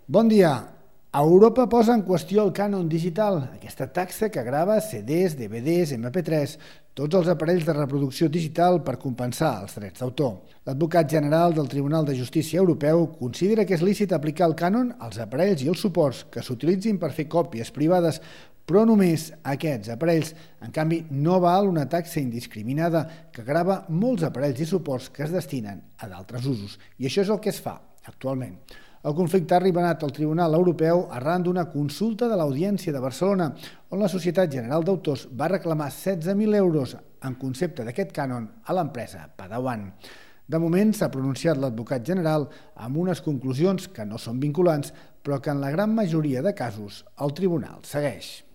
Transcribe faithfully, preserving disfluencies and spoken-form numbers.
Bon dia. Europa posa en qüestió el cànon digital, aquesta taxa que grava C Ds, D V Ds, M P tres, tots els aparells de reproducció digital per compensar els drets d'autor. L'advocat general del Tribunal de Justícia Europeu considera que és lícit aplicar el cànon als aparells i els suports que s'utilitzin per fer còpies privades, però només a aquests aparells. En canvi, no val una taxa indiscriminada que grava molts aparells i suports que es destinen a d'altres usos. I això és el que es fa actualment. El conflicte ha arribat al Tribunal Europeu arran d'una consulta de l'Audiència de Barcelona, on la Societat General d'Autors va reclamar setze mil euros en concepte d'aquest cànon a l'empresa Padawan. De moment s'ha pronunciat l'advocat general amb unes conclusions que no són vinculants, però que en la gran majoria de casos el tribunal segueix.